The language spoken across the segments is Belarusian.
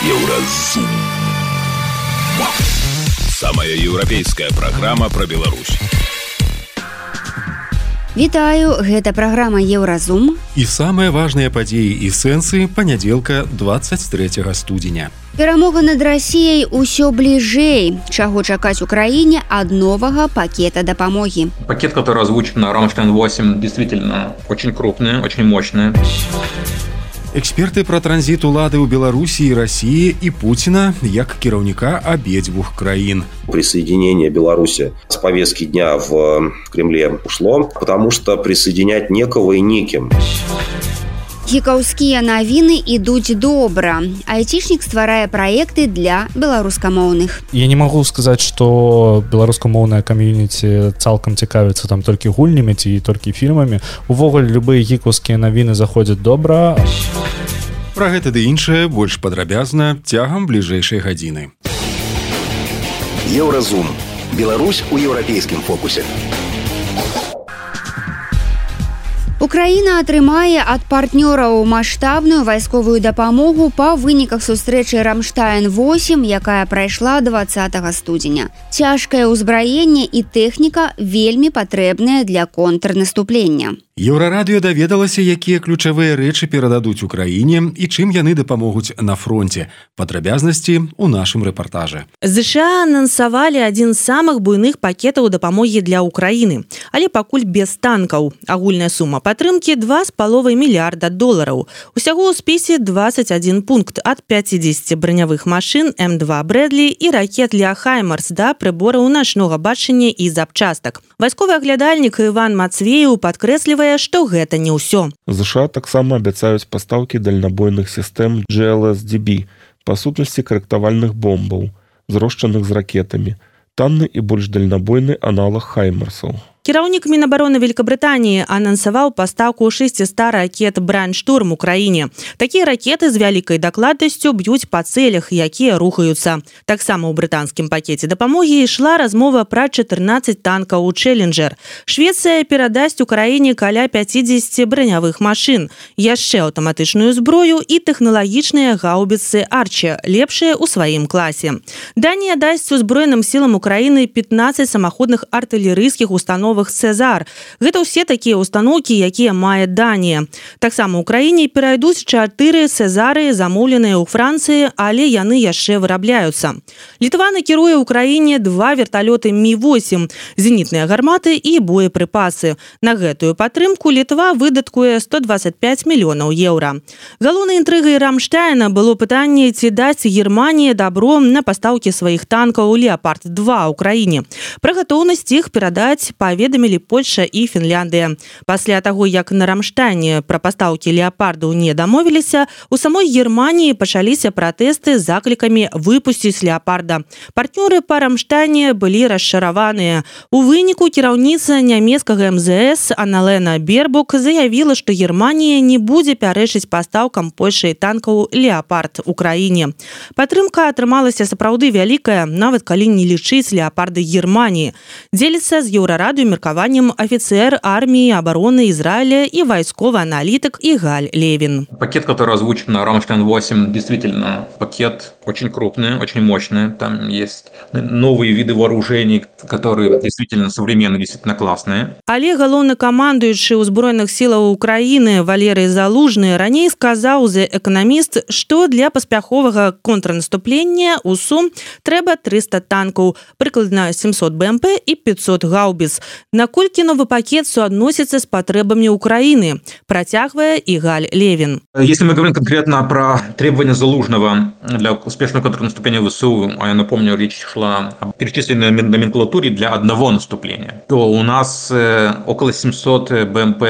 Еўразум. Самая еўрапейская праграма пра Беларусь. Вітаю, гэта праграма Еўразум. І самыя важныя падзеі і сэнсы панядзелка 23 студзеня. Перамога над Расіяй усё бліжэй. Чаго чакаць Украіне ад новага пакета дапамогі? Пакет, который озвучен на Рамштайн-8, действительно очень крупный, очень мощный. Эксперты пра транзіт улады ў Беларусі і Расіі і Пуціна як кіраўніка абедзвюх краін. Присоединение Беларуси с повестки дня в Кремле ушло, потому что присоединять некого и неким. Гікаўскія навіны ідуць добра. Айцішнік стварае праекты для беларускамоўных. Я не могу сказаць, што беларускамоўная камьюніці цалкам цікавіцца там толькі гульнямі ці толькі фільмамі. Увогуле любыя гікаўскія навіны заходзяць добра. Пра гэта ды іншае больш падрабязна цягам бліжэйшай гадзіны. Еўразум. Беларусь у еўрапейскім фокусе. Украіна атрымае ад партнёраў маштабную вайсковую дапамогу па выніках сустрэчы Рамштайн-8, якая прайшла 20 студзеня. Цяжкае ўзбраенне і тэхніка вельмі патрэбныя для контрнаступлення. Еўрарадыё даведалася, якія ключавыя рэчы перададуць Украіне і чым яны дапамогуць на фронте. Падрабязнасці ў нашым рэпартажы. США анансавалі адзін з самых буйных пакетаў дапамогі для Украіны, але пакуль без танкаў. Агульная сума падтрымкі $2,5 мільярда. Усяго ў спісе 21 пункт ад 50 бранявых машын М2 Брэдлі і ракет для Хаймарс да прыбораў начнога бачання і запчастак. Вайсковы аглядальнік Іван Мацвееў падкрэслівае, што гэта не ўсё. США таксама абяцаюць пастаўкі дальнабойных сістэм GLSDB, па сутнасці карэктавальных бомбаў, зрошчаных з ракетамі, танны і больш дальнабойны аналаг Хаймарсаў. Кіраўнік Мінабароны Великабрытаніі анансаваў пастаўку 600 ракет «Брайнштурм» Украіне. Такія ракеты з вялікай дакладнасцю б'юць па цэлях, якія рухаюцца. Таксама ў брытанскім пакеце дапамогі ішла размова пра 14 танкаў «Челленджер». Швецыя перадасць Украіне каля 50 бранявых машын, яшчэ аўтаматычную зброю і тэхналагічныя гаубіцы «Арчі», лепшыя ў сваім класе. Данія дасць узброеным сілам Украіны 15 самаходных артылерыйскіх установ «Цезар». Гэта ўсе такія установкі, якія мае Данія. Таксама ў краіне перайдуць 4 «Цезары», замоўленыя ў Францыі, але яны яшчэ вырабляюцца. Літва накіруе ў краіне 2 верталёты Мі-8, зенітныя гарматы і боепрыпасы. На гэтую падтрымку Літва выдаткуе 125 мільёнаў еўра. Галоўнай інтрыгай Рамштайна было пытанне, ці дасць Германія дабро на пастаўкі сваіх танкаў «Леопард-2» ў краіне. Пра гатоўнасць іх перадаць паведамілі Польша і Фінляндыя. Пасля таго, як на Рамштайне пра пастаўкі «Леопардаў» не дамовіліся, у самой Германіі пачаліся пратэсты з заклікамі выпусціць «Леопарда». Партнёры па Рамштайне былі расчараваныя. У выніку кіраўніца нямецкага МЗС Анналена Бербок заявіла, што Германія не будзе пярэчыць пастаўкам Польшай танкаў «Леопард» Украіне. Падтрымка атрымалася сапраўды вялікая, нават калі не лічыць «Леопарды» Германіі. Дзеліцца з Еўрарадыё меркаваннем офицер армии обороны Израиля и войсковый аналитик Игаль Левин. Пакет, который озвучен на Рамштайн-8, действительно пакет очень крупный, очень мощный. Там есть новые виды вооружений, которые действительно современные, действительно классные. Але галоўнакамандуючы ўзброеных сілаў Украіны Валерый Залужны раней сказаў The Economist, што для паспяховага контрнаступлення ў сум трэба 300 танкаў, прыкладна 700 БМП і 500 гаубіц. Наколькі новый пакет суадносіцца з патрэбамі Украины, процягвае Игаль Левин. Если мы говорим конкретно про требования Залужного для успешного контрнаступления ВСУ, а я напомню, речь шла о перечисленной номенклатуре для одного наступления, то у нас около 700 БМП,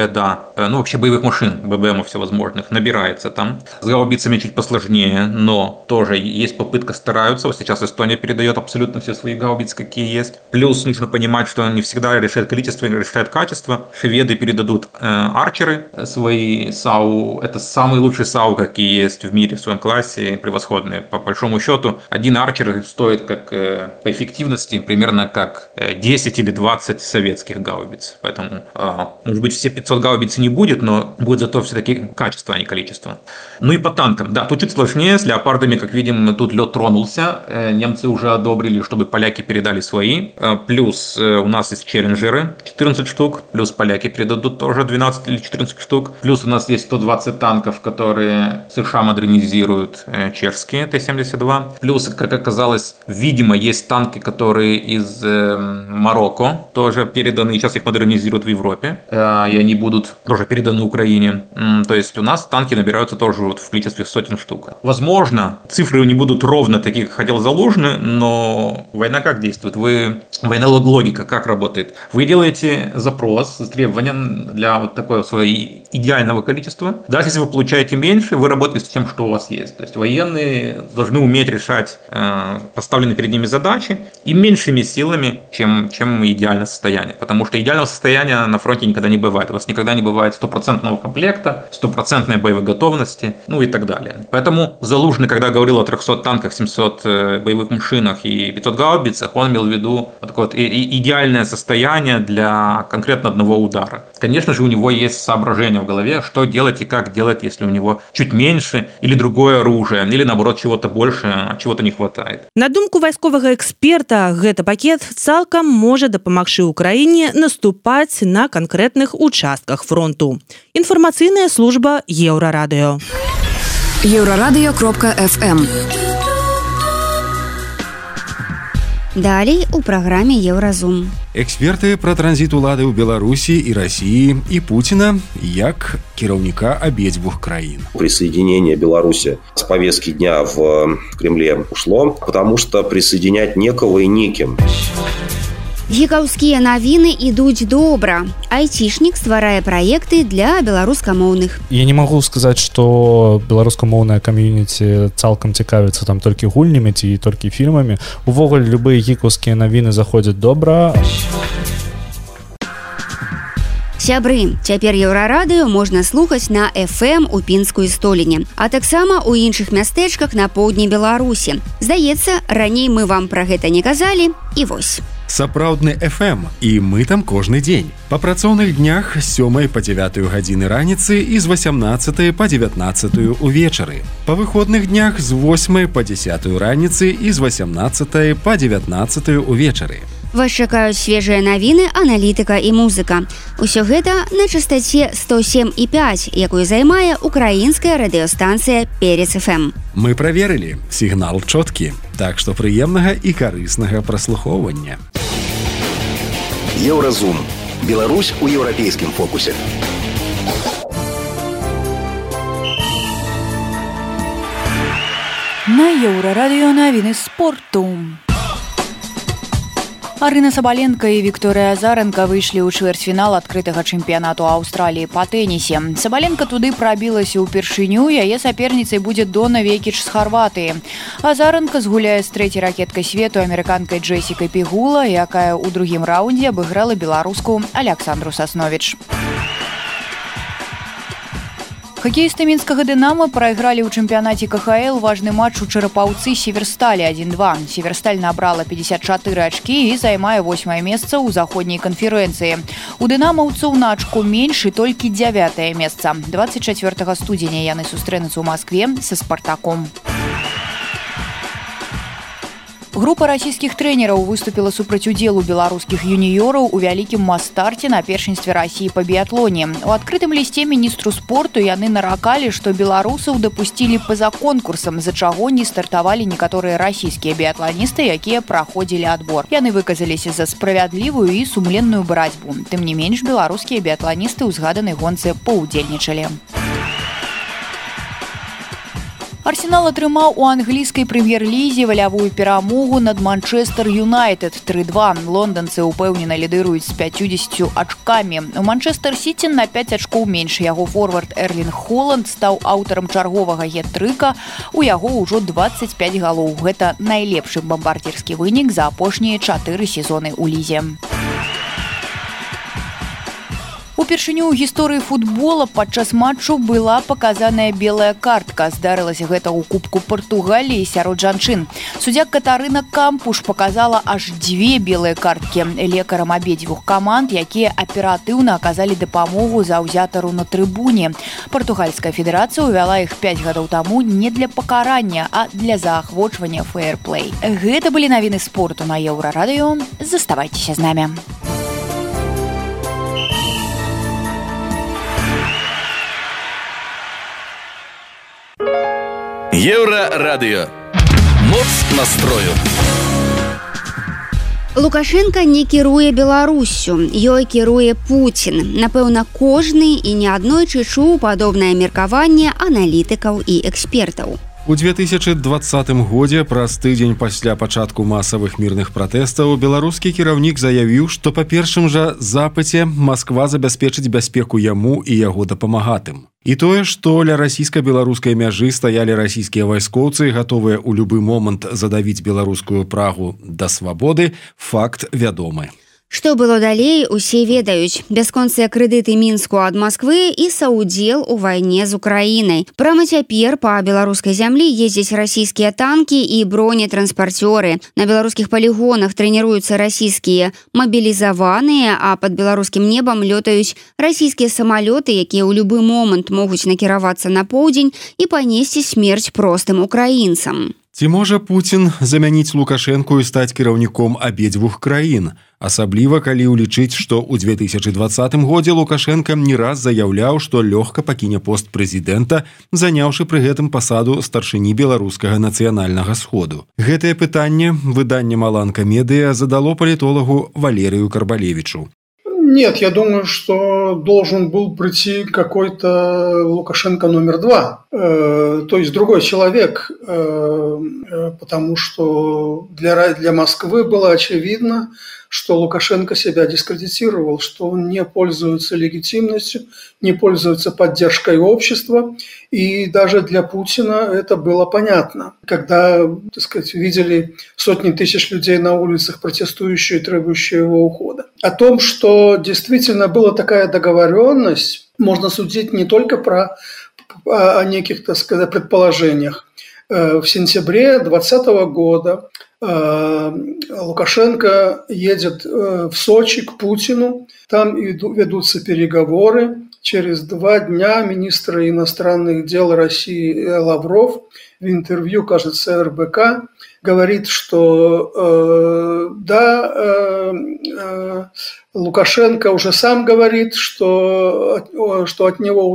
вообще боевых машин, ББМов всевозможных, набирается там. С гаубицами чуть посложнее, но тоже есть попытка, стараются. Вот сейчас Эстония передает абсолютно все свои гаубицы, какие есть. Плюс нужно понимать, что не всегда решает количество решает качество. Шведы передадут арчеры свои САУ. Это самые лучшие САУ, какие есть в мире в своем классе, превосходные. По большому счету, один арчер стоит как по эффективности примерно как 10 или 20 советских гаубиц. Поэтому, может быть, все 500 гаубиц не будет, но будет зато все-таки качество, а не количество. Ну и по танкам. Да, тут чуть сложнее. С леопардами, как видим, тут лед тронулся. Немцы уже одобрили, чтобы поляки передали свои. Плюс у нас есть челленджеры 14 штук. Плюс поляки передадут тоже 12 или 14 штук. Плюс у нас есть 120 танков, которые США модернизируют, чешские Т-72. Плюс, как оказалось, видимо, есть танки, которые из Марокко тоже переданы. Сейчас их модернизируют в Европе. И они будут тоже переданы Украине. То есть у нас танки набираются тоже вот в количестве сотен штук. Возможно, цифры не будут ровно такие, как хотел Залужный, но война как действует? Война логика как работает? Вы делаете запрос с требованием для вот такого своего идеального количества. Даже если вы получаете меньше, вы работаете с тем, что у вас есть. То есть военные должны уметь решать поставленные перед ними задачи и меньшими силами, чем идеальное состояние. Потому что идеального состояния на фронте никогда не бывает. У вас никогда не бывает 100% комплекта, 100% боевой готовности, ну и так далее. Поэтому Залужный, когда говорил о 300 танках, 700 боевых машинах и 500 гаубицах, он имел в виду вот такое вот идеальное состояние для конкретно одного удара. Конечно же, у него есть соображение в голове, что делать и как делать, если у него чуть меньше или другое оружие, или наоборот чего-то больше, а чего-то не хватает. На думку вайсковага эксперта, гэты пакет цалкам можа дапамагчы Украіне наступаць на канкрэтных участках фронту. Інфармацыйная служба Еўрарадыё. Еўрарадыё.фм. Далей у праграме Еўразум. Эксперты пра транзіт улады ў Беларусі і Расіі і Пуціна як кіраўніка абедзвюх краін. Присоединение Беларуси с повестки дня в Кремле ушло, потому что присоединять некого и неким. Гікаўскія навіны ідуць добра. Айцішнік стварае праекты для беларускамоўных. Я не магу сказаць, што беларускамоўная кам'юніці цалкам цікавіцца там толькі гульнямі ці толькі фільмамі. Увогуле любыя гікаўскія навіны заходзяць добра. Сябры, цяпер Еўрарадыё можна слухаць на FM у Пінскую Століне, а таксама ў іншых мястэчках на поўдні Беларусі. Здаецца, раней мы вам пра гэта не казалі, і вось. Сапраўдны FM, і мы там кожны дзень. Па працоўных днях з 7 па 9 гадзіны раніцы і з 18 па 19 увечары. Па выходных днях з 8 па 10 раніцы і з 18 па 19 увечары. Вас чакаюць свежыя навіны, аналітыка і музыка. Усё гэта на частаце 107,5, якую займае украінская радыёстанцыя Перец FM. Мы праверылі, сігнал чоткі, так што прыемнага і карыснага праслухоўвання. Еўразум. Беларусь у еўрапейскім фокусе. На Еўрарадыё навіны спорту. Арына Сабаленко і Вікторыя Азаранка выйшлі ў чвэрцьфінал адкрытага чэмпіянату Аўстраліі па тэнісе. Сабаленко туды прабілася ўпершыню, яе саперніцай будзе Дона Векіч з Харватыі. Азаранка згуляе з трэцяй ракеткай свету амерыканкай Джесікай Пігула, якая ў другім раўндзе абыграла беларуску Аляксандру Сасновіч. Хакеісты мінскага «Дынама» прайгралі ў чэмпіянаце КХЛ важны матч у Чарапаўцы Северсталі 1-2. Северсталь набрала 54 ачкі і займае 8-е месца ў заходняй канферэнцыі. У дынамаўцаў на ачку менш і толькі 9-е месца. 24 студзеня яны сустрэнуцца ў Маскве са «Спартаком». Група расійскіх трэнераў выступіла супраць удзелу беларускіх юніёраў у вялікім мас-старце на першынстве Расіі па біятлоне. У адкрытым лісце міністру спорту яны наракалі, што беларусаў дапусцілі па-за конкурсам, з-за чаго не стартавалі некаторыя расійскія біятланісты, якія праходзілі адбор. Яны выказаліся за справядлівую і сумленную барацьбу. Тым не менш, беларускія біятланісты ў згаданай гонцы паўдзельнічалі. Арсенал атрымаў у англійскай прэм'ер-лізе валявую перамогу над Манчестер Юнайтед 3-2. Лонданцы ўпэўнена лідыруюць з 50 ачкамі. У Манчестер-Сіці на 5 ачкоў менш. Яго форвард Эрлінг Холанд стаў аўтарам чарговага гет-трыка. У яго ўжо 25 галоў. Гэта найлепшы бамбардзірскі вынік за апошнія 4 сезоны ў лізе. Упершыню ў гісторыі футбола падчас матчу была паказаная белая картка. Здарылася гэта ў Кубку Партугаліі сярод жанчын. Суддзя Катарына Кампуш паказала аж 2 белыя карткі лекарам абедзвюх каманд, якія аператыўна аказалі дапамогу заўзятару на трыбуне. Партугальская федэрацыя ўвяла іх 5 гадоў таму не для пакарання, а для заахвочвання фэйрплэй. Гэта былі навіны спорту на Еўрарадыё. Заставайцеся з намі. Еўрарадыё. Моц настрою. Лукашенко не кіруе Беларуссю, ёй кіруе Пуцін. Напэўна, кожны і не аднойчы чуў падобнае меркаванне аналітыкаў і экспертаў. У 2020 годзе, праз тыдзень пасля пачатку масавых мірных пратэстаў, беларускі кіраўнік заявіў, што па першым жа запыце Масква забяспечыць бяспеку яму і яго дапамагатым. І тое, што ля расійска-беларускай мяжы стаялі расійскія вайскоўцы, гатовыя ў любы момант задавіць беларускую Прагу да свабоды, факт вядомы. Што было далей, усе ведаюць. Бясконцыя крэдыты Мінску ад Масквы і саўдзел у вайне з Украінай. Прама цяпер па беларускай зямлі ездзяць расійскія танкі і бронетранспарцёры. На беларускіх палігонах трэніруюцца расійскія мабілізаваныя, а пад беларускім небам лётаюць расійскія самалёты, якія ў любы момант могуць накіравацца на поўдзень і панесці смерць простым украінцам. Ці можа Пуцін замяніць Лукашэнку і стаць кіраўніком абедзвюх краін? Асабліва, калі ўлічыць, што ў 2020 годзе Лукашенка не раз заяўляў, што лёгка пакіне пост прэзідэнта, заняўшы пры гэтым пасаду старшыні беларускага нацыянальнага сходу. Гэтае пытанне выданне «Маланка Медыа» задало палітолагу Валерію Карбалевичу. Нет, я думаю, что должен был прийти какой-то Лукашенко номер 2, то есть другой человек, потому что для Москвы было очевидно, что Лукашенко себя дискредитировал, что он не пользуется легитимностью, не пользуется поддержкой общества, и даже для Путина это было понятно. Когда, так сказать, видели сотни тысяч людей на улицах, протестующие и требующие его ухода. О том, что действительно была такая договоренность, можно судить не только о неких, так сказать, предположениях. В сентябре 2020 года Лукашенко едет в Сочи к Путину, там ведутся переговоры. Через 2 дня министр иностранных дел России Лавров в интервью, кажется, РБК, говорит, что Лукашенко уже сам говорит, что от него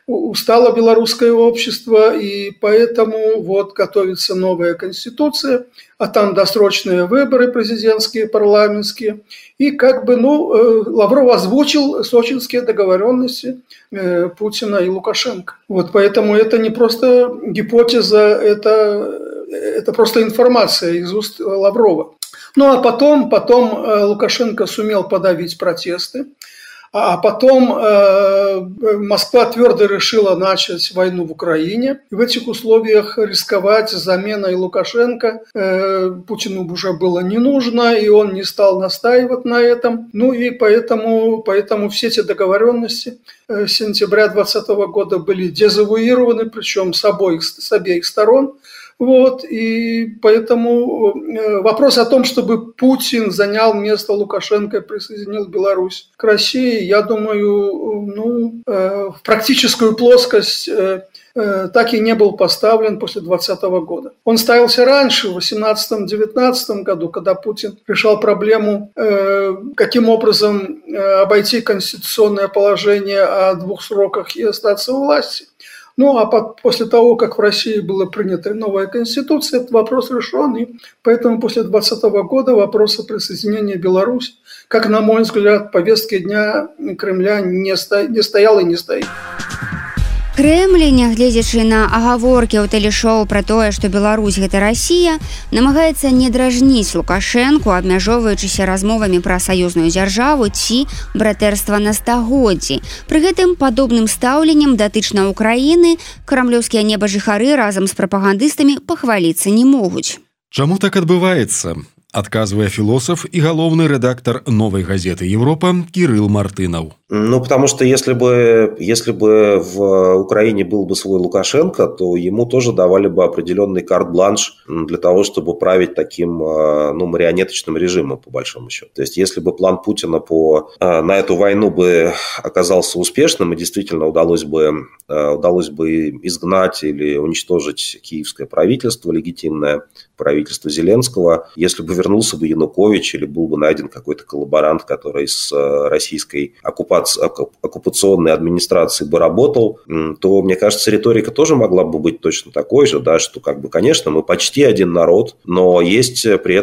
устало белорусское общество, и поэтому вот готовится новая конституция, а там досрочные выборы президентские, парламентские. И Лавров озвучил сочинские договоренности Путина и Лукашенко. Вот поэтому это не просто гипотеза, это просто информация из уст Лаврова. Ну а потом Лукашенко сумел подавить протесты. А потом Москва твердо решила начать войну в Украине. И в этих условиях рисковать заменой Лукашенко Путину уже было не нужно, и он не стал настаивать на этом. Ну и поэтому все эти договоренности сентября 2020 года были дезавуированы, причем с обеих сторон. Вот, и поэтому вопрос о том, чтобы Путин занял место Лукашенко и присоединил Беларусь к России, я думаю, в практическую плоскость так и не был поставлен после 2020 года. Он ставился раньше, в 2018-2019 году, когда Путин решал проблему, каким образом обойти конституционное положение о 2 сроках и остаться у власти. Ну, а после того, как в России была принята новая конституция, этот вопрос решен, и поэтому после 2020 года вопрос о присоединении Беларуси, как, на мой взгляд, в повестке дня Кремля не стоял и не стоит. Крэмль, нягледзячы на агаворкі ў тэлешоу пра тое, што Беларусь – гэта Расія, намагаецца не дражніць Лукашэнку, абмяжоўваючыся размовамі пра саюзную дзяржаву ці братэрства на стагоддзі. Пры гэтым падобным стаўленнем датычна Украіны крамлёўскія небажыхары разам з прапагандыстамі пахваліцца не могуць. Чаму так адбываецца? Адказвае філосаф и галоўны редактор «Новой газеты Европа» Кирилл Мартынов. Потому что если бы в Украине был бы свой Лукашенко, то ему тоже давали бы определенный карт-бланш для того, чтобы править таким марионеточным режимом, по большому счету. То есть, если бы план Путина на эту войну бы оказался успешным и действительно удалось бы изгнать или уничтожить киевское правительство, легитимное правительство Зеленского, если бы вернулся бы Янукович или был бы найден какой-то коллаборант, который с российской оккупационной администрацией бы работал, то, мне кажется, риторика тоже могла бы быть точно такой же, да, что, конечно, мы почти один народ, но есть при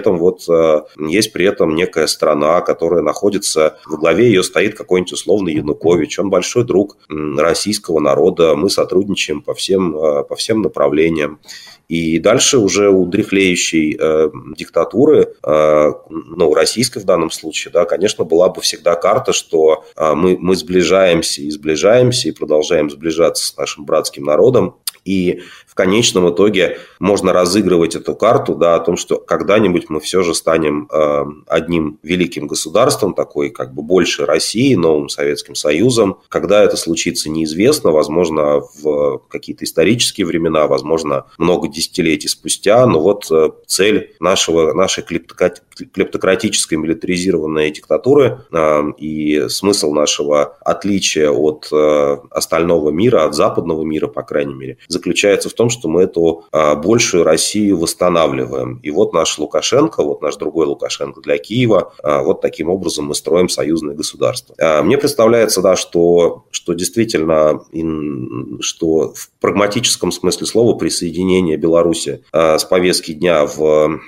этом некая страна, которая находится, во главе ее стоит какой-нибудь условный Янукович, он большой друг российского народа, мы сотрудничаем по всем направлениям. И дальше уже у дряхлеющей диктатуры, российской в данном случае, да, конечно, была бы всегда карта, что мы сближаемся и продолжаем сближаться с нашим братским народом. И в конечном итоге можно разыгрывать эту карту, да, о том, что когда-нибудь мы все же станем одним великим государством, такой больше России, новым Советским Союзом. Когда это случится, неизвестно. Возможно, в какие-то исторические времена, возможно, много десятилетий спустя. Но цель нашей клептократической милитаризированной диктатуры и смысл нашего отличия от остального мира, от западного мира, по крайней мере, заключается в том, что мы эту большую Россию восстанавливаем. И наш Лукашенко, наш другой Лукашенко для Киева, таким образом мы строим союзное государство. Мне представляется, да, что действительно, что в прагматическом смысле слова присоединение Беларуси с повестки дня в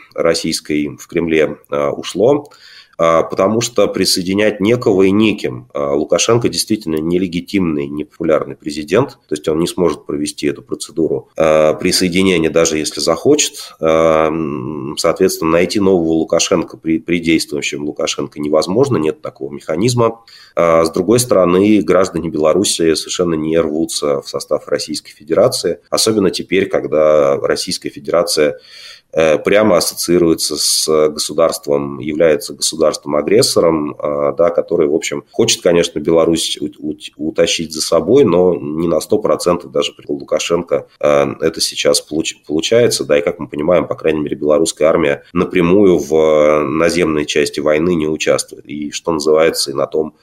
Кремле ушло. Потому что присоединять некого и неким. Лукашенко действительно нелегитимный, непопулярный президент, то есть он не сможет провести эту процедуру присоединения, даже если захочет. Соответственно, найти нового Лукашенко при действующем Лукашенко невозможно, нет такого механизма. С другой стороны, граждане Беларуси совершенно не рвутся в состав Российской Федерации, особенно теперь, когда Российская Федерация прямо ассоциируется с государством, является государством-агрессором, да, который, в общем, хочет, конечно, Беларусь утащить за собой, но не на 100% даже при Лукашенко это сейчас получается. Да, и, как мы понимаем, по крайней мере, белорусская армия напрямую в наземной части войны не участвует. И, что называется, и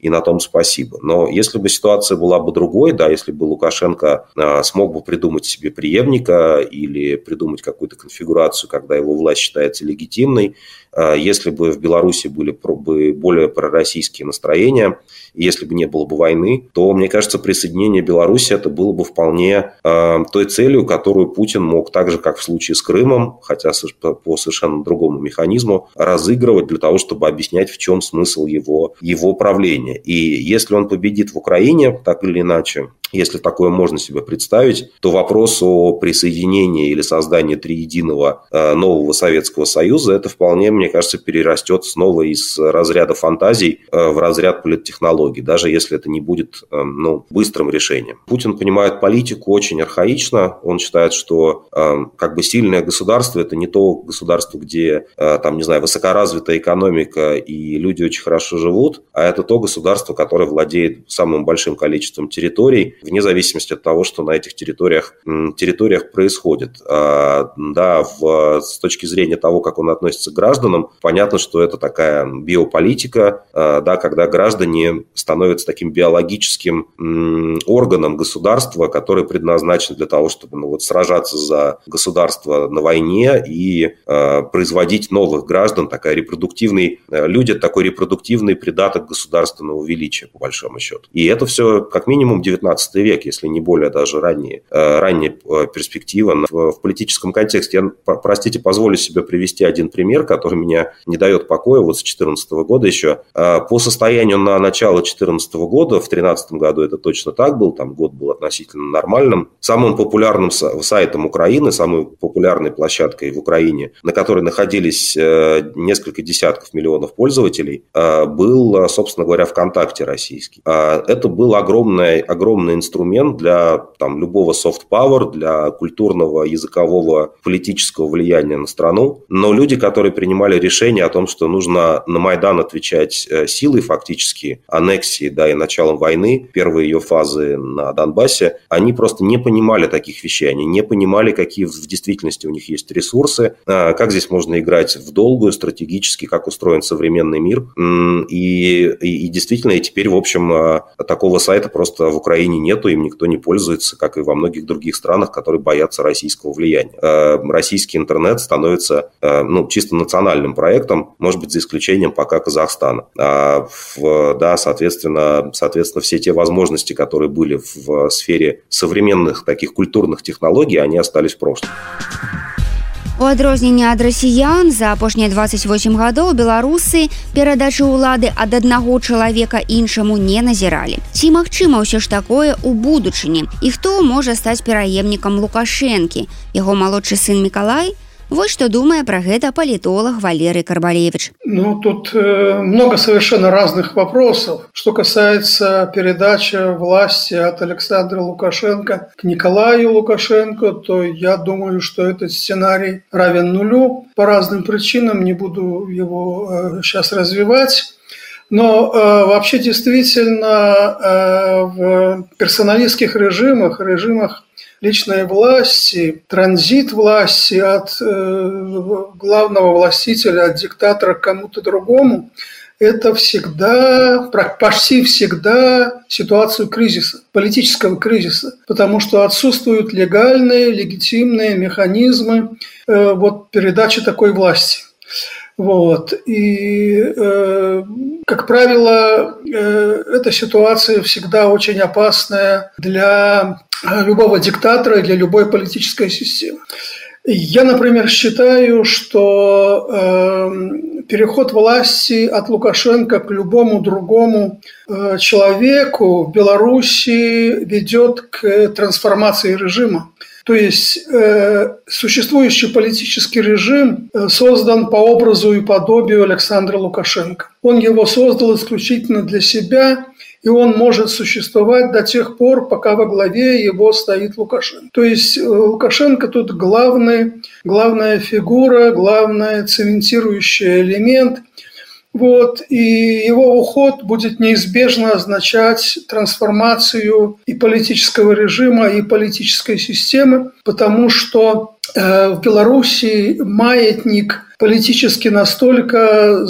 на том спасибо. Но если бы ситуация была бы другой, да, если бы Лукашенко смог бы придумать себе преемника или придумать какую-то конфигурацию, когда его власть считается легитимной, если бы в Беларуси были более пророссийские настроения, если бы не было бы войны, то, мне кажется, присоединение Беларуси это было бы вполне той целью, которую Путин мог, так же, как в случае с Крымом, хотя по совершенно другому механизму, разыгрывать для того, чтобы объяснять, в чем смысл его правления. И если он победит в Украине, так или иначе, если такое можно себе представить, то вопрос о присоединении или создании триединого нового Советского Союза, это вполне, мне кажется, перерастет снова из разряда фантазий в разряд политтехнологий, даже если это не будет быстрым решением. Путин понимает политику очень архаично. Он считает, что сильное государство – это не то государство, где высокоразвитая экономика и люди очень хорошо живут, а это то государство, которое владеет самым большим количеством территорий, вне зависимости от того, что на этих территориях происходит. С точки зрения того, как он относится к гражданам, понятно, что это такая биополитика, когда граждане становятся таким биологическим органом государства, который предназначен для того, чтобы сражаться за государство на войне и производить новых граждан, такой репродуктивный придаток государственного величия, по большому счету. И это все как минимум 19 век, если не более даже ранняя перспектива в политическом контексте. Я, позволю себе привести один пример, который меня не дает покоя с 2014 года еще. По состоянию на начало 2014 года, в 2013 году это точно так был, там год был относительно нормальным, самым популярным сайтом Украины, самой популярной площадкой в Украине, на которой находились несколько десятков миллионов пользователей, был, собственно говоря, ВКонтакте российский. Это был огромный инструмент для любого soft-power, для культурного, языкового, политического влияния на страну. Но люди, которые принимали решение о том, что нужно на Майдан отвечать силой фактически, аннексией, и началом войны, первой ее фазы на Донбассе, они просто не понимали таких вещей, они не понимали, какие в действительности у них есть ресурсы, как здесь можно играть в долгую, стратегически, как устроен современный мир. И действительно, и теперь, в общем, такого сайта просто в Украине нету, им никто не пользуется, как и во многих других странах, которые боятся российского влияния. Российский интернет становится чисто национальным проектом, может быть, за исключением пока Казахстана. Соответственно, все те возможности, которые были в сфере современных таких культурных технологий, они остались в прошлом. У адрозненне ад расіян за апошнія 28 гадоў беларусы перадачы ўлады ад аднаго чалавека іншаму не назіралі. Ці магчыма ўсё ж такое ў будучыні? І хто можа стаць пераемнікам Лукашэнкі? Яго малодшы сын Мікалай? Вот что думает про это политолог Валерий Карбалевич. Тут много совершенно разных вопросов. Что касается передачи власти от Александра Лукашенко к Николаю Лукашенко, то я думаю, что этот сценарий равен нулю. По разным причинам, не буду его сейчас развивать. Но вообще действительно в персоналистских режимах личной власти, транзит власти от главного властителя, от диктатора к кому-то другому, это почти всегда ситуацию кризиса, политического кризиса, потому что отсутствуют легальные, легитимные механизмы передачи такой власти. И, как правило, эта ситуация всегда очень опасная для любого диктатора и для любой политической системы. Я, например, считаю, что переход власти от Лукашенко к любому другому человеку в Беларуси ведет к трансформации режима. То есть существующий политический режим создан по образу и подобию Александра Лукашенко. Он его создал исключительно для себя, и он может существовать до тех пор, пока во главе его стоит Лукашенко. То есть Лукашенко тут главная фигура, главный цементирующий элемент. И его уход будет неизбежно означать трансформацию и политического режима, и политической системы, потому что в Беларуси маятник политически настолько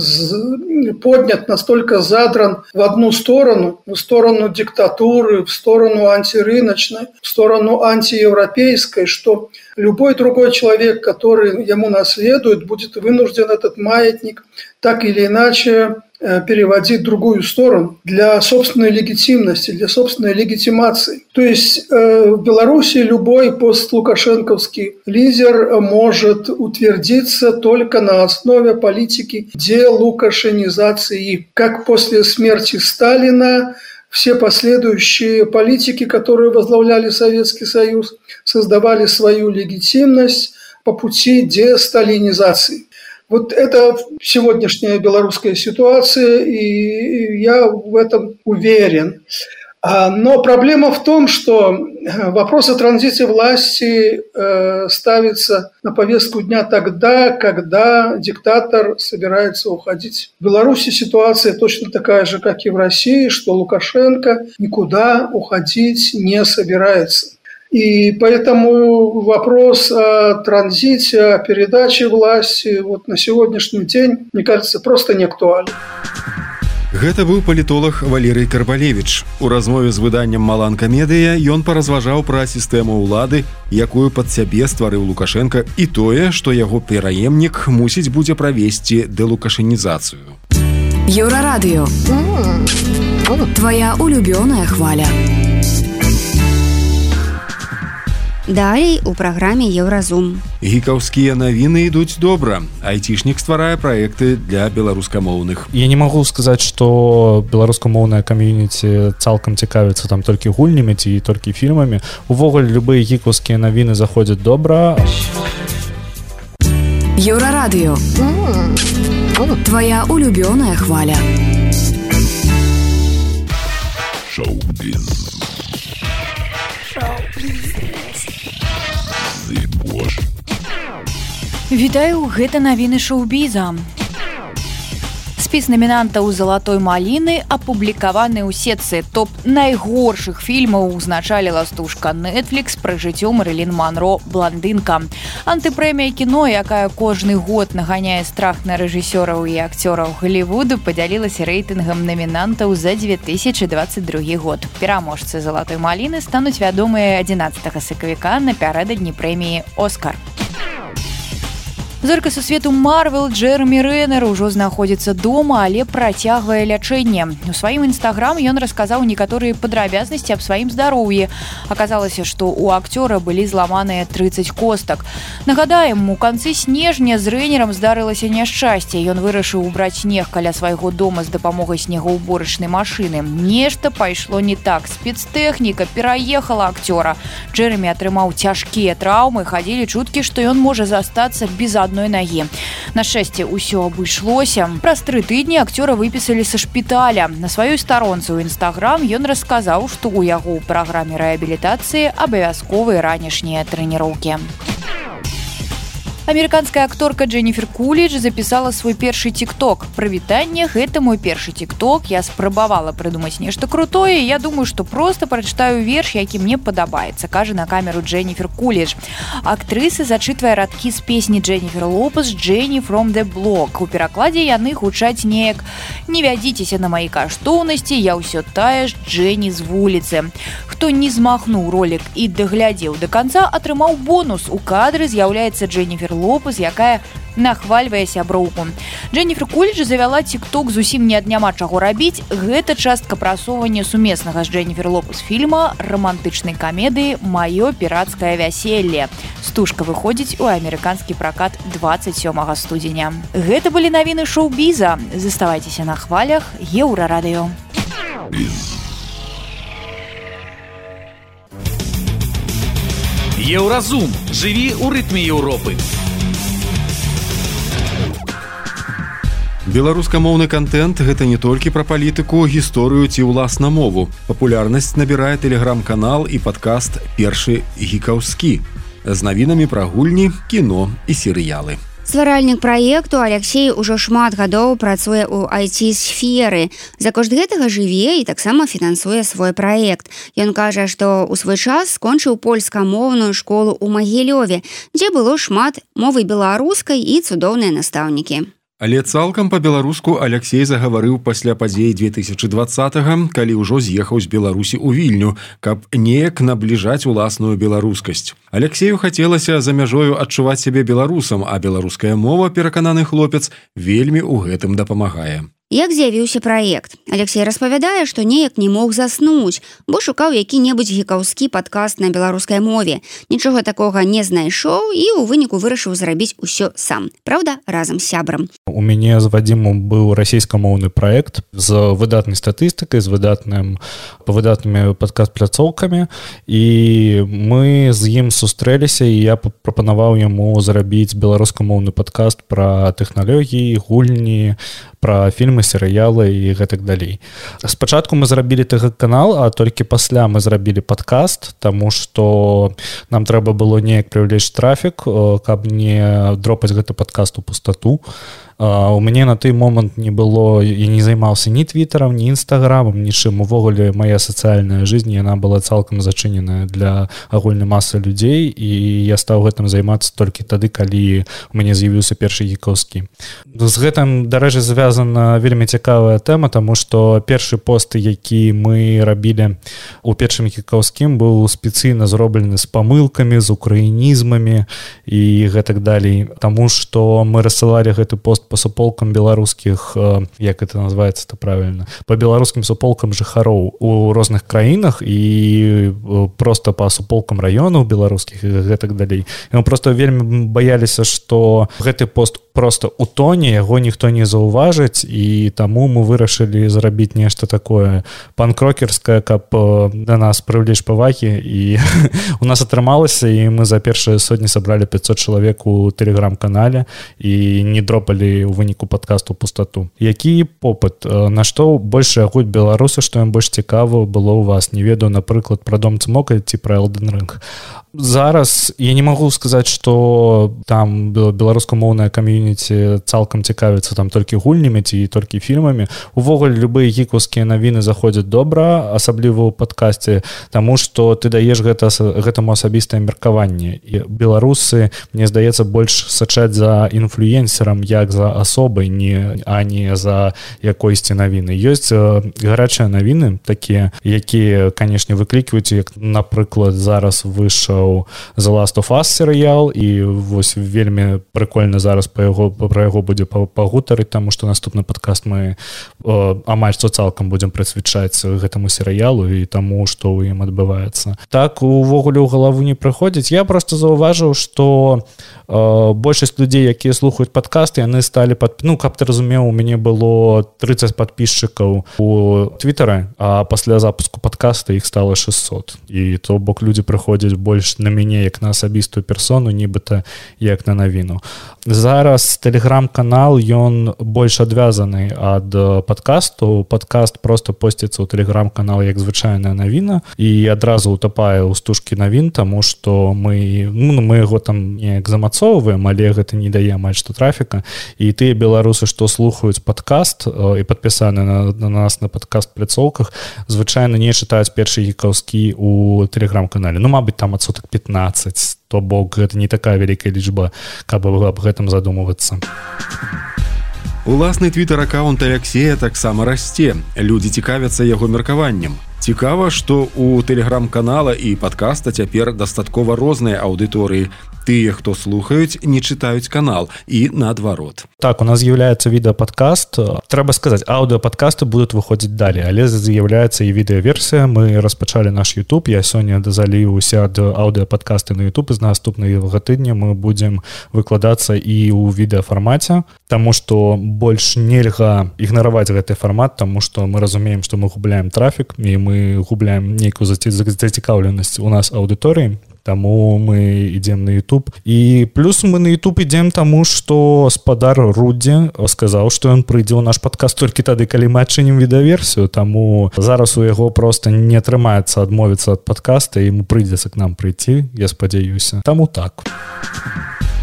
поднят, настолько задран в одну сторону, в сторону диктатуры, в сторону антирыночной, в сторону антиевропейской, что любой другой человек, который ему наследует, будет вынужден этот маятник так или иначе переводить в другую сторону для собственной легитимности, для собственной легитимации. То есть в Беларуси любой постлукашенковский лидер может утвердиться только на основе политики делукашенизации. Как после смерти Сталина все последующие политики, которые возглавляли Советский Союз, создавали свою легитимность по пути десталинизации. Это сегодняшняя белорусская ситуация, и я в этом уверен. Но проблема в том, что вопрос о транзите власти ставится на повестку дня тогда, когда диктатор собирается уходить. В Беларуси ситуация точно такая же, как и в России, что Лукашенко никуда уходить не собирается. И поэтому вопрос о транзите, о передаче власти на сегодняшний день, мне кажется, просто не актуален. Гэта быў палітолог Валерый Карбалевич. У размове з выданнем «Маланка Медыя» ён паразважаў пра сістэму ўлады, якую пад сябе стварыў Лукашенко, і тое, што яго пераемнік мусіць будзе правесці дэлукашэнізацыю. Еўрарадыё. Твоя улюбёная хваля. Далей у праграме Еўразум. Гікаўскія навіны ідуць добра. Айцішнік стварае праекты для беларускамоўных. Я не магу сказаць, што беларускамоўная камьюніці цалкам цікавіцца там толькі гульнямі ці толькі фільмамі. Увогуле любыя гікаўскія навіны заходзяць добра. Еўрарадыё. Твоя улюбёная хваля. Шоу-біз. Вітаю, гэта навіны шоу-біза. Спіс намінантаў залатой маліны апублікаваны ў сетцы топ найгоршых фільмаў узначаліла стужка Netflix пра жыццё Мэрылін Монро «Бландынка». Антыпрэмія кіно, якая кожны год наганяе страх на рэжысёраў і акцёраў Голлівуду, падзялілася рэйтынгам намінантаў за 2022 год. Пераможцы залатой маліны стануць вядомыя 11 сакавіка напярэдадні прэміі «Оскар». Зорка сусвету Марвел Джэремі Рэнер ужо знаходзіцца дома, але працягвае лячэнне. У сваім інстаграм ён расказаў некаторыя падрабязнасці аб сваім здароўі. Аказалася, што ў акцёра былі зламаныя 30 костак. Нагадаем, у канцы снежня з Рэнерам здарылася няшчасце. Ён вырашыў убраць снег каля свайго дома з дапамогай снегаўборачнай машыны. Нешта пайшло не так. Спецтэхніка пераехала акцёра. Джэремі атрымаў цяжкія траўмы, хадзілі чуткі, што ён можа застацца без адной нагі. На шчасце, ўсё абышлося. Праз 3 тыдні акцёра выпісалі са шпіталя. На сваёй старонцы ў інстаграм ён расказаў, што ў яго ў праграме рэабілітацыі абавязковыя ранішнія трэніроўкі. Амерыканская акторка Дженніфер Кулідж запісала свой першы тик-ток. Прывітанне, гэта мой першы тик-ток. Я спрабавала прыдумаць нешта крутое. Я думаю, што проста прачытаю верш, які мне падабаецца, кажа на камеру Дженніфер Кулідж. Актрыса зачытвае радкі з песні Дженніфер Лопес «Дженні from the block». У перакладзе яны гучаць неяк: «Не вядзіцеся на маі каштоўнасці, я ўсё тая ж Дженні з вуліцы». Хто не змахнуў ролик і даглядзеў да канца, атрымаў бонус. У кадры з'яўляецца Дженніфер Лопес, якая нахвальвае сяброўку. Дженніфер Кулідж завяла тик-ток зусім няма чаго рабіць. Гэта частка прасоўвання сумеснага з Дженніфер Лопес фільма рамантычнай камедыі «Маё пірацкае вяселле». Стужка выходзіць у амерыканскі пракат 27 студзеня. Гэта былі навіны шоу-біза. Заставайцеся на хвалях Еўрарадыё. Еўразум. Жыві ў рытме Еўропы. Беларускамоўны кантэнт гэта не толькі пра палітыку, гісторыю ці ўласна мову. Папулярнасць набірае тэлеграм-канал і падкаст «Першы гікаўскі» з навінамі пра гульні, кіно і серыялы. Стваральнік праекту Алексей ужо шмат гадоў працуе ў IT-сферы. За кошт гэтага жыве і таксама фінансуе свой праект. Ён кажа, што ў свой час скончыў польскамоўную школу ў Магілёве, дзе было шмат мовы беларускай і цудоўныя настаўнікі. Але цалкам па-беларуску Алексей загаварыў пасля падзей 2020-га, калі ўжо з'ехаў з Беларусі ў Вільню, каб неяк набліжаць уласную беларускасць. Алексею хацелася за мяжою адчуваць сябе беларусам, а беларуская мова, перакананы хлопец, вельмі ў гэтым дапамагае. Як з'явіўся праект? Алексей распавядае, што неяк не мог заснуць, бо шукаў які-небудзь гікаўскі падкаст на беларускай мове. Нічога такога не знайшоў і ў выніку вырашыў зрабіць усё сам. Праўда, разам з сябрам. У мяне з Вадзімом быў расійскамоўны праект з выдатнай статыстыкай, з выдатнымі падкаст-пляцоўкамі, і мы з ім сустрэліся, і я прапанаваў яму зрабіць беларускамоўны падкаст пра тэхналогіі, гульні, пра фільмы, серыялы і гэтак далей. Спачатку мы зрабілі ТГ-канал, а толькі пасля мы зрабілі падкаст, таму што нам трэба было неяк прывлечь трафік, каб не дропаць гэты падкаст у пустату. У мяне на той момант не было, я не займаўся ні твіттерам, ні інстаграмам, нічым. Увогуле моя сацыяльная жизнь, яна была цалкам зачыненая для агульнай масы людзей, і я стаў гэтым займацца толькі тады, калі у мяне з'явіўся першы гікаўскі. З гэтым, дарэчы, звязана вельмі цікавая тэма, таму што першы пост, які мы рабілі у першым гікаўскім, быў спецыйна зроблены з памылкамі, з украінізмамі і гэтак далей, таму што мы рассылалі гэты пост по суполкам беларускіх, як это называется-то правильно, по беларускім суполкам жыхароў у розных краінах і просто по суполкам раёнаў беларускіх і гэтак далей. І мы просто вельмі баяліся, што гэты пост просто утоне, яго ніхто не заўважыць, і таму мы вырашылі зрабіць нешта такое панк-рокерскае, каб да нас прывлечь павагі, і у нас атрымалася, і мы за першыя сотні сабралі 500 чалавек у тэлеграм-канале і не дропалі у выніку падкасту пустату. Які попыт? На што больш ягуць беларусы, што ім больш цікава было ў вас? Не ведаю, напрыклад, пра Дом Цмока ці пра Элден Рынг. зараз я не магу сказаць, што там беларускамоўная кам'юніці цалкам цікавіцца там толькі гульнямі ці толькі фільмамі. Увогуле любыя гікаўскія навіны заходзяць добра, асабліва ў падкасці, таму што ты даеш гэтаму асабістае меркаванне. І беларусы, мне здаецца, больш сачаць за інфлюенсерам як за асобай, а не за якойсьці навіны. Ёсць гарачыя навіны такія, якія, канешне, выклікваюць, як, напрыклад, зараз выйшаў The Last of Us серыял, і вось вельмі прыкольна зараз пра яго будзе пагутарыць, таму што наступны падкаст мы амаль што цалкам будзем прысвячаць гэтаму серыялу і таму, што ў ім адбываецца. Так увогуле ў галаву не прыходзіць. Я проста заўважыў, што большасць людзей, якія слухаюць падкасты, яны сталі каб ты разумеў, у мяне было 30 подписчикаў у Твиттера, а пасля запуску подкаста іх стало 600. І то бок людзі прыходзяць больш на мяне як на асабістую персону, нібыта як на навіну. Зараз тэлеграм-канал, ён больш адвязаны ад падкасту. Падкаст просто посціцца ў тэлеграм-канал як звычайная навіна і адразу утапае ў стужкі навін, таму што мы яго там неяк замацоўваем, але гэта не дае амаль што трафіка. І тыя беларусы, што слухаюць падкаст і падпісаны на нас на падкаст-пляцоўках, звычайна не чытаюць першы гікаўскі ў тэлеграм-канале. Мабыць, там адсотак 15, то бок гэта не такая вялікая лічба, каб аб гэтым задумвацца. Уласны твиттер-аккаунт Алексея таксама расце. Людзі цікавяцца яго меркаваннем. Цікава, што у тэлеграм-канала і падкаста цяпер дастаткова розныя аўдыторыі. Тыя, хто слухаюць, не чытаюць канал і наадварот. Так, у нас з'яўляецца відэападкаст. Трэба сказаць, аўдыападкасты будуць выходзіць далей, але з'яўляецца і відэаверсія. Мы распачалі наш YouTube. Я сёння заліўся ад аўдыападкасты на YouTube. З наступнага тыдня мы будзем выкладацца і ў відэафармаце, таму што больш нельга ігнараваць гэты фармат, таму што мы разумеем, што мы губляем трафік і мы губляем нейкую зацікаўленасць у нас аўдыторыі. Таму мы ідзем на YouTube. І плюс мы на YouTube ідзем таму, што спадар Рудзі сказаў, што ён прыйдзе ў наш падкаст толькі тады, калі мы адчынім відэаверсію. Таму зараз у яго проста не атрымаецца адмовіцца ад падкаста, і ему прыйдзецца к нам прыйти, я спадзяюся. Таму так.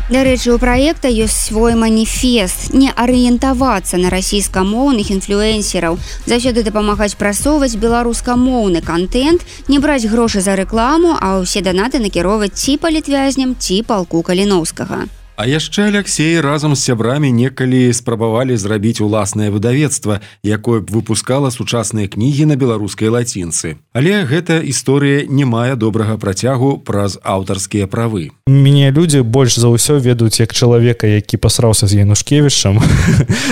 Дарэчы, у праекта ёсць свой маніфест не арыентавацца на расійскамоўных інфлюэнсераў, заўсёды дапамагаць прасоўваць беларускамоўны кантэнт, не браць грошы за рэкламу, а ўсе данаты накіроўваць ці палітвязням, ці палку Каліноўскага. А яшчэ Алексей разам з сябрамі некалі спрабавалі зрабіць уласнае выдавецтва, якое б выпускала сучасныя кнігі на беларускай лацінцы. Але гэта історыя не мае добрага працягу праз аўтарскія правы. Мяне людзі больш за ўсё ведаюць як чалавека, які пасраўся з Янушкевічам.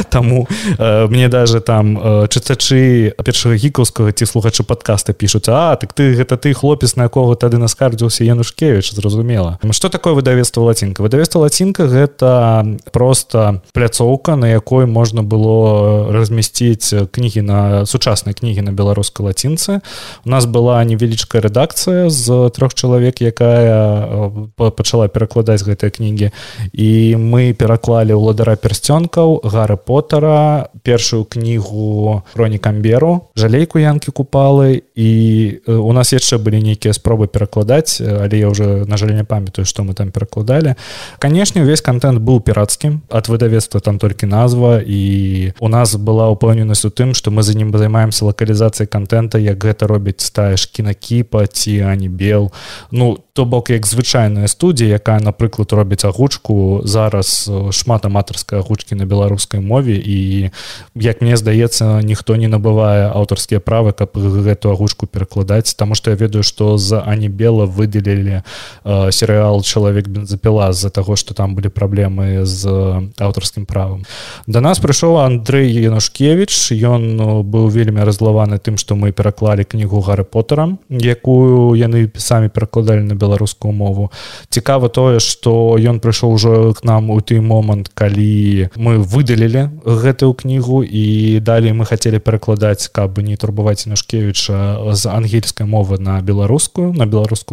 Таму мне даже там чытачы першага гікаўскага ці слухачы падкаста пішуць: так гэта ты хлопец, на якога тады наскардзіўся Янушкевіч, зразумела. Што такое выдавецтва лацінка? Выдавецтва лацінка гэта просто пляцоўка, на якой можна было размясціць кнігі сучасныя кнігі на беларускай лацінцы. У нас была невялічкая рэдакцыя з 3 чалавек, якая пачала перакладаць гэтыя кнігі. І мы пераклалі «Уладара пярсцёнкаў», «Гарры Поттера», першую кнігу «Хроні Камберу», «Жалейку Янкі Купалы», і у нас яшчэ былі нейкія спробы перакладаць, але я ўжо, на жаль, не памятаю, што мы там перакладалі. Канешне, увесь контент быў пірацкім, ад выдавецтва там толькі назва, і у нас была ўпэўненасць у тым, што мы за ім займаемся лакалізацыяй контента, як гэта робіць тая ж Кінакіпа ці Ані Бел. То бок як звычайная студія, якая, напрыклад, робіць агучку. Зараз шмат аматарскай агучкі на беларускай мове, і, як мне здаецца, ніхто не набывае аўтарскія правы, каб гэту агучку перакладаць, таму што я ведаю, што з Ані Бела выдалілі серыял «Чалавек бензапіла» з-за таго, што там былі праблемы з аўтарскім правам. Да нас прыйшоў Андрэй Янушкевіч. Ён быў вельмі раззлаваны тым, што мы пераклалі кнігу «Гарры Поттера», якую яны самі перакладалі на беларускую мову. Цікава тое, што ён прыйшоў ужо к нам у той момант, калі мы выдалілі гэтую кнігу, і далей мы хацелі перакладаць, каб не турбаваць Янушкевіча, з ангельскай мовы на беларускую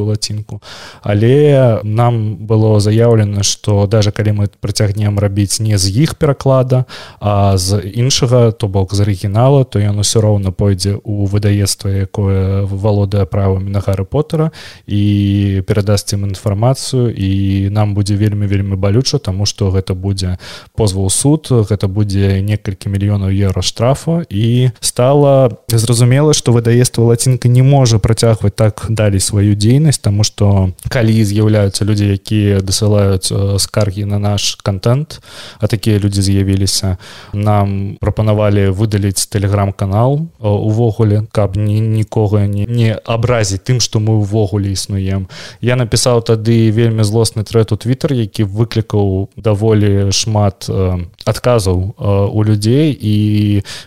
лацінку. Але нам было заяўлена, што даже калі мы працягнем рабіць не з іх пераклада, а з іншага, то бок з арыгінала, то ён усё роўна пойдзе ў выдавецтва, якое валодае правамі на Гарры Поттера, і вы перадасце ім інфармацыю, і нам будзе вельмі балюча, таму што гэта будзе позва ў суд, гэта будзе некалькі мільёнаў еўра штрафу, і стала зразумела, што выдавецтва «Лацінка» не можа працягваць так далей сваю дзейнасць, таму што калі з'яўляюцца людзі, якія дасылаюць скаргі на наш контент, а такія людзі з'явіліся, нам прапанавалі выдаліць тэлеграм-канал увогуле, каб нікога не абразіць тым, што мы ўвогуле існуем. Я напісаў тады вельмі злосны трэд у Твиттер, які выклікаў даволі шмат адказаў у людзей, і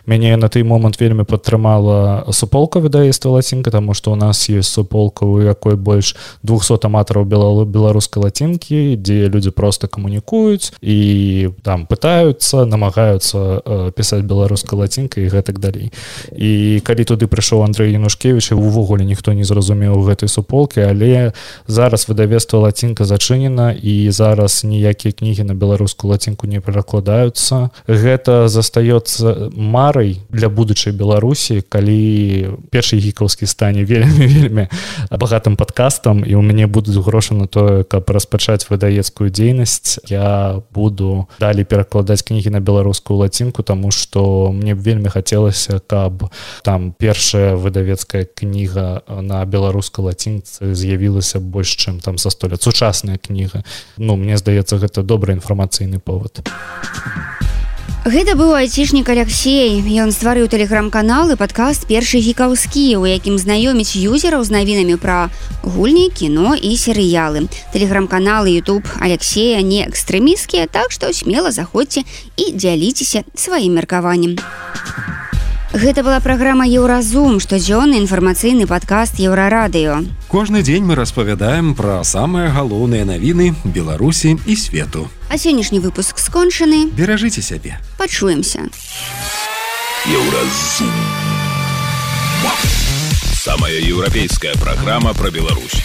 мяне на той момант вельмі падтрымала суполка выдавецтва «Лацінка», таму што ў нас ёсць суполка, у якой больш 200 аматараў беларускай лацінкі, дзе людзі проста камунікуюць і там пытаюцца, намагаюцца пісаць беларускай лацінкай і гэтак далей. І калі туды прыйшоў Андрэй Янушкевіч, увогуле ніхто не зразумеў гэтай суполкі, але зараз выдавецтва «Лацінка» зачынена, і зараз ніякія кнігі на беларускую лацінку не перакладаюцца. Гэта застаецца марай для будучай Беларусі, калі першы гікаўскі стане вельмі багатым падкастам, і ў мяне будуць грошы на тое, каб распачаць выдавецкую дзейнасць. Я буду далей перакладаць кнігі на беларускую лацінку, таму што мне вельмі хацелася, каб там першая выдавецкая кніга на беларускай лацінцы з'явілася больш чым там за 100 лет. Сучасная кніга. Мне здаецца, гэта добры інфармацыйны повод. Гэта быў айцішнік Алексей. Ён стварыў тэлеграм-канал і падкаст «Першы гікаўскі», у якім знаёміць юзераў з навінамі пра гульні, кіно і серыялы. Тэлеграм-канал і ютуб Алексея не экстрэмісцкія, так што смела заходзьце і дзяліцеся сваім меркаваннем. Гэта была праграма «Еўразум», штодзённы інфармацыйны падкаст «Еўрарадыё». Кожны дзень мы распавядаем пра самыя галоўныя навіны Беларусі і свету. А сённяшні выпуск скончаны. Беражыце сябе. Пачуемся. «Еўразум». Самая еўрапейская праграма пра Беларусь.